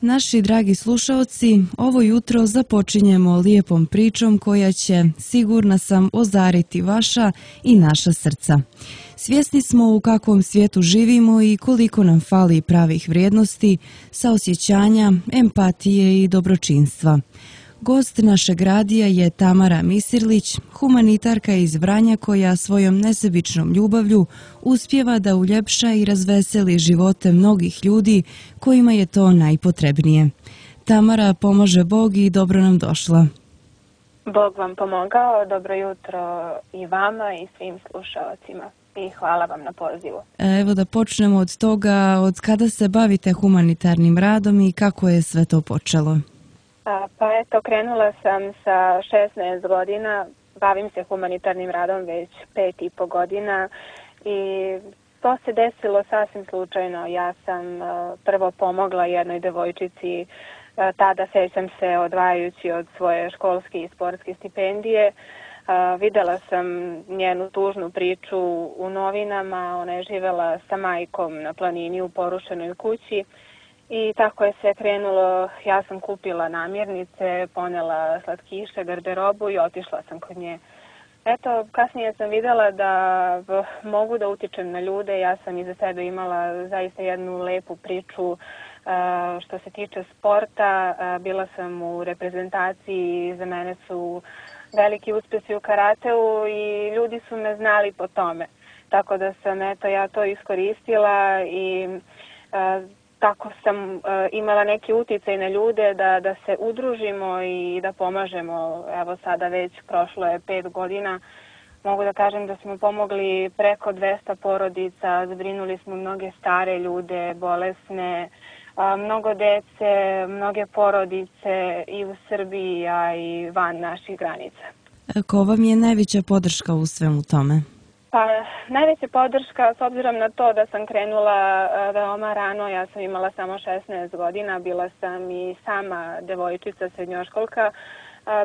Naši dragi slušaoci, ovo jutro započinjemo lijepom pričom koja će, sigurna sam, ozariti vaša i naša srca. Svjesni smo u kakvom svijetu živimo i koliko nam fali pravih vrijednosti, saosjećanja, empatije i dobročinstva. Gost našeg radija je Tamara Misirlić, humanitarka iz Vranja koja svojom nesebičnom ljubavlju uspijeva da uljepša i razveseli živote mnogih ljudi kojima je to najpotrebnije. Tamara, pomože Bog i dobro nam došla. Bog vam pomogao, dobro jutro i vama i svim slušalcima i hvala vam na pozivu. Evo da počnemo od toga, od kada se bavite humanitarnim radom i kako je sve to počelo? Pa eto, krenula sam sa 16 godina, bavim se humanitarnim radom već 5,5 godina i to se desilo sasvim slučajno. Ja sam prvo pomogla jednoj devojčici, tada sećam se odvajajući od svoje školske i sportske stipendije. Videla sam njenu tužnu priču u novinama, ona je živela sa majkom na planini u porušenoj kući. I tako je sve krenulo, ja sam kupila namirnice, ponela slatkiše, garderobu i otišla sam kod nje. Eto, kasnije sam vidjela da mogu da utičem na ljude, ja sam iza sebe imala zaista jednu lepu priču što se tiče sporta. Bila sam u reprezentaciji, za mene su veliki uspjesi u karateu i ljudi su me znali po tome. Tako da sam ja to iskoristila i tako sam imala neki utjecaj na ljude da se udružimo i da pomažemo. Evo sada već prošlo je 5 godina. Mogu da kažem da smo pomogli preko 200 porodica, zbrinuli smo mnoge stare ljude, bolesne, mnogo dece, mnoge porodice i u Srbiji, a i van naših granica. Ko vam je najveća podrška u svemu tome? Pa najveća podrška, s obzirom na to da sam krenula veoma rano, ja sam imala samo 16 godina, bila sam i sama devojčica, srednjoškolka,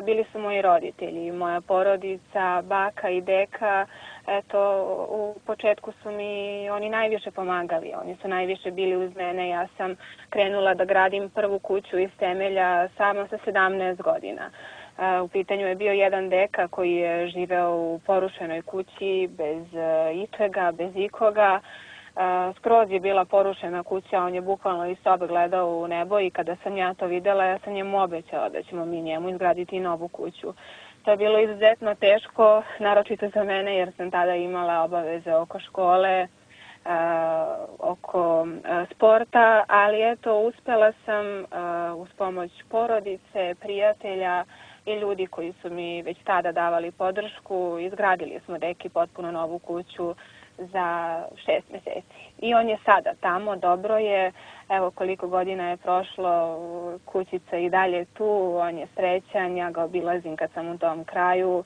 bili su moji roditelji, moja porodica, baka i deka. Eto, u početku su mi oni najviše pomagali, oni su najviše bili uz mene. Ja sam krenula da gradim prvu kuću iz temelja samo sa 17 godina. U pitanju je bio jedan deka koji je živeo u porušenoj kući bez ičega, bez ikoga. Skroz je bila porušena kuća, on je bukvalno iz sobe gledao u nebo i kada sam ja to vidjela, ja sam njemu obećala da ćemo mi njemu izgraditi novu kuću. To je bilo izuzetno teško, naročito za mene jer sam tada imala obaveze oko škole, oko sporta, ali eto, uspjela sam uz pomoć porodice, prijatelja i ljudi koji su mi već tada davali podršku. Izgradili smo deki potpuno novu kuću za 6 mjeseci. I on je sada tamo, dobro je, evo koliko godina je prošlo, kućica i dalje tu, on je srećan, ja ga obilazim kad sam u tom kraju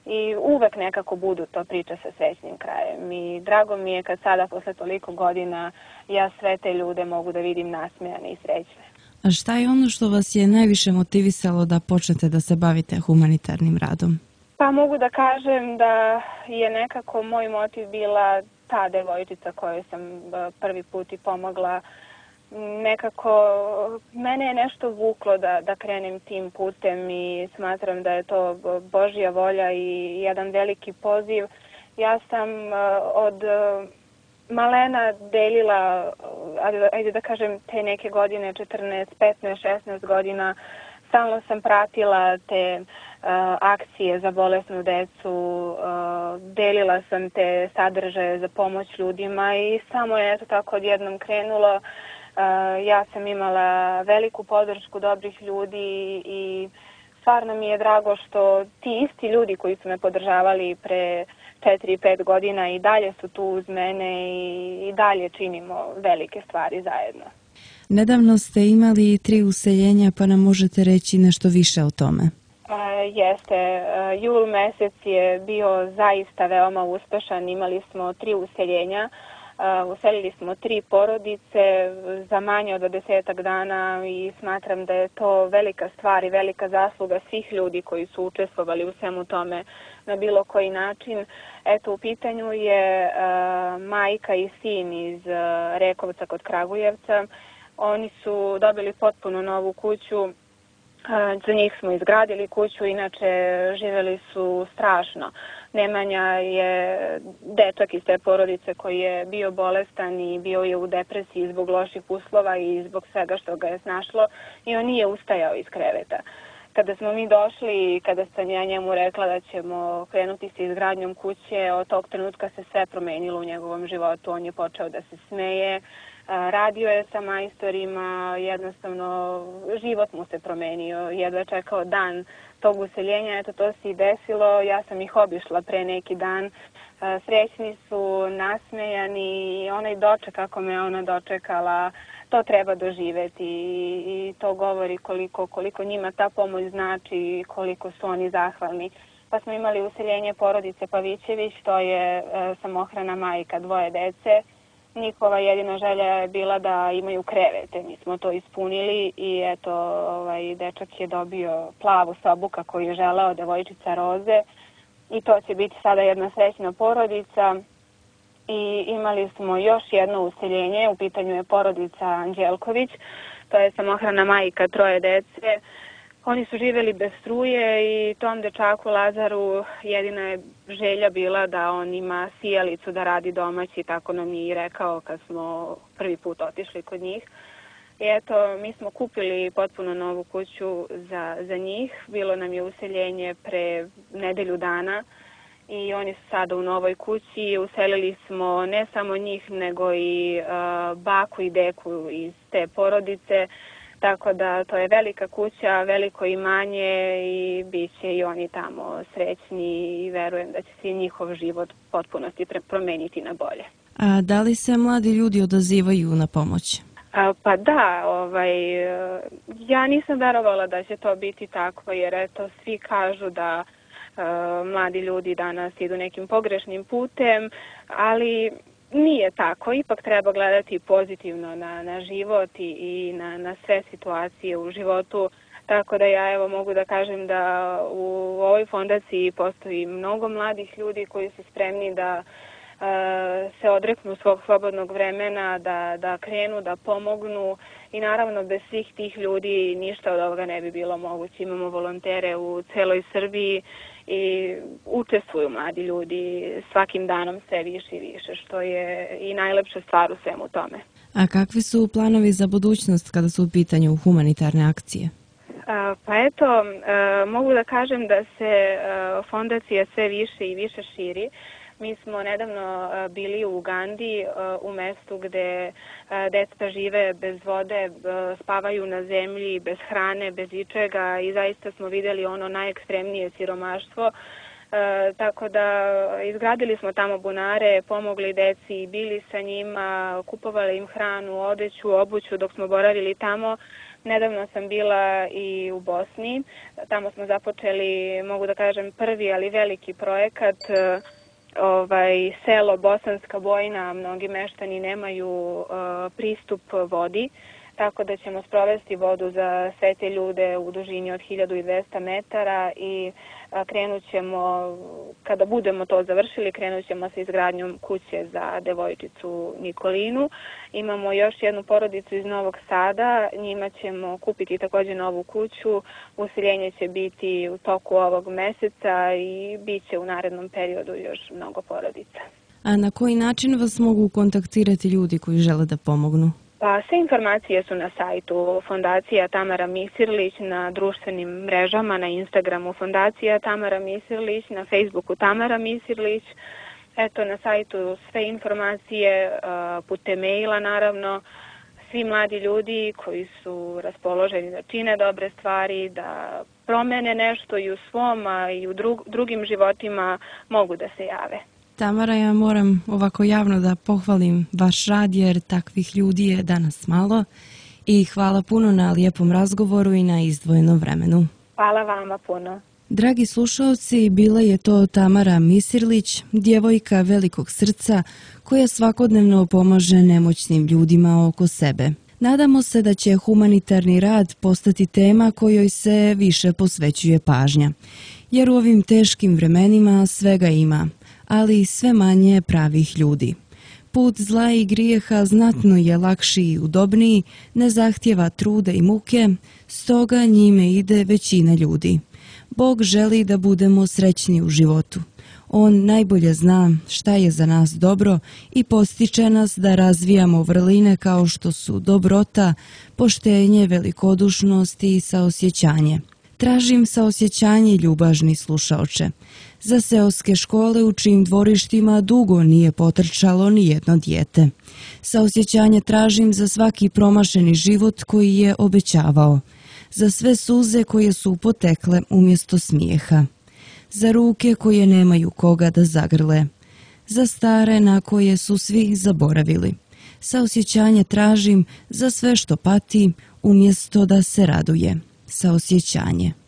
i uvek nekako budu to priče sa srećnim krajem. I drago mi je kad sada posle toliko godina ja sve te ljude mogu da vidim nasmejane i srećne. A šta je ono što vas je najviše motivisalo da počnete da se bavite humanitarnim radom? Pa mogu da kažem da je nekako moj motiv bila ta devojčica kojoj sam prvi put i pomogla. Nekako mene je nešto vuklo da krenem tim putem i smatram da je to Božja volja i jedan veliki poziv. Ja sam od malena delila, ajde da kažem, te neke godine, 14, 15, 16 godina, stalno sam pratila te akcije za bolesnu decu, delila sam te sadržaje za pomoć ljudima i samo je eto tako odjednom krenulo. Ja sam imala veliku podršku dobrih ljudi i stvarno mi je drago što ti isti ljudi koji su me podržavali pre 4-5 godina i dalje su tu uz mene i dalje činimo velike stvari zajedno. Nedavno ste imali 3 useljenja, pa nam možete reći nešto više o tome? Jeste. Jul mesec je bio zaista veoma uspešan. Imali smo 3 useljenja. Uselili smo 3 porodice za manje od 10 dana i smatram da je to velika stvar i velika zasluga svih ljudi koji su učestvovali u svemu tome na bilo koji način. Eto, u pitanju je majka i sin iz Rekovca kod Kragujevca. Oni su dobili potpuno novu kuću. Za njih smo izgradili kuću, inače živeli su strašno. Nemanja je dečak iz te porodice koji je bio bolestan i bio je u depresiji zbog loših uslova i zbog svega što ga je snašlo i on nije ustajao iz kreveta. Kada smo mi došli i kada sam ja njemu rekla da ćemo krenuti sa izgradnjom kuće, od tog trenutka se sve promenilo u njegovom životu. On je počeo da se smeje, radio je sa majstorima, jednostavno život mu se promenio, jedva čekao dan tog useljenja, eto to se i desilo, ja sam ih obišla pre neki dan, srećni su, nasmejani i onaj doček kako me ona dočekala, to treba doživeti i to govori koliko njima ta pomoć znači i koliko su oni zahvalni. Pa smo imali useljenje porodice Pavićević, to je samohrana majka, 2 dece. Njihova jedina želja je bila da imaju krevete, mi smo to ispunili i eto, dečak je dobio plavu sobu kako je želeo, devojčica roze i to će biti sada jedna srećna porodica. I imali smo još jedno useljenje, u pitanju je porodica Anđelković, to je samohrana majka 3 dece. Oni su živeli bez struje i tom dečaku Lazaru jedina je želja bila da on ima sijalicu da radi domaći, tako nam je i rekao kad smo prvi put otišli kod njih. I eto, mi smo kupili potpuno novu kuću za njih, bilo nam je useljenje pre nedelju dana i oni su sada u novoj kući. Uselili smo ne samo njih, nego i baku i deku iz te porodice. Tako da to je velika kuća, veliko imanje i bit će i oni tamo srećni i verujem da će se njihov život potpunosti promeniti na bolje. A da li se mladi ljudi odazivaju na pomoć? Pa da, ja nisam verovala da će to biti tako, jer eto svi kažu da mladi ljudi danas idu nekim pogrešnim putem, ali nije tako, ipak treba gledati pozitivno na život i na sve situacije u životu, tako da ja evo mogu da kažem da u ovoj fondaciji postoji mnogo mladih ljudi koji su spremni da se odreknu svog slobodnog vremena, da krenu, da pomognu i naravno bez svih tih ljudi ništa od ovoga ne bi bilo moguće. Imamo volontere u celoj Srbiji i učestvuju mladi ljudi svakim danom sve više i više, što je i najlepša stvar u svemu tome. A kakvi su planovi za budućnost kada su u pitanju humanitarne akcije? Pa eto, mogu da kažem da se fondacija sve više i više širi. Mi smo nedavno bili u Ugandi, u mestu gde deca žive bez vode, spavaju na zemlji, bez hrane, bez ičega i zaista smo videli ono najekstremnije siromaštvo. Tako da izgradili smo tamo bunare, pomogli deci, bili sa njima, kupovali im hranu, odeću, obuću dok smo boravili tamo. Nedavno sam bila i u Bosni, tamo smo započeli, mogu da kažem, prvi ali veliki projekat, selo Bosanska Bojna, mnogi meštani nemaju pristup vodi, tako da ćemo sprovesti vodu za sve te ljude u dužini od 1200 metara i krenut ćemo, kada budemo to završili, krenut ćemo sa izgradnjom kuće za devojčicu Nikolinu. Imamo još jednu porodicu iz Novog Sada, njima ćemo kupiti također novu kuću, useljenje će biti u toku ovog meseca i bit će u narednom periodu još mnogo porodica. A na koji način vas mogu kontaktirati ljudi koji žele da pomognu? Pa sve informacije su na sajtu Fondacija Tamara Misirlić, na društvenim mrežama, na Instagramu Fondacija Tamara Misirlić, na Facebooku Tamara Misirlić. Eto, na sajtu sve informacije, putem maila naravno. Svi mladi ljudi koji su raspoloženi da čine dobre stvari, da promene nešto i u svom, a i u drugim životima mogu da se jave. Tamara, ja moram ovako javno da pohvalim vaš rad jer takvih ljudi je danas malo i hvala puno na lijepom razgovoru i na izdvojenom vremenu. Hvala vama puno. Dragi slušalci, bila je to Tamara Misirlić, djevojka velikog srca koja svakodnevno pomaže nemoćnim ljudima oko sebe. Nadamo se da će humanitarni rad postati tema kojoj se više posvećuje pažnja, jer u ovim teškim vremenima svega ima, ali sve manje pravih ljudi. Put zla i grijeha znatno je lakši i udobniji, ne zahtjeva truda i muke, stoga njime ide većina ljudi. Bog želi da budemo srećni u životu. On najbolje zna šta je za nas dobro i postiče nas da razvijamo vrline kao što su dobrota, poštenje, velikodušnost i saosjećanje. Tražim saosjećanje, ljubažni slušaoče. Za seoske škole u čijim dvorištima dugo nije potrčalo ni jedno dijete. Saosjećanje tražim za svaki promašeni život koji je obećavao. Za sve suze koje su potekle umjesto smijeha. Za ruke koje nemaju koga da zagrle. Za stare na koje su svi zaboravili. Saosjećanje tražim za sve što pati umjesto da se raduje. Saosjećanje.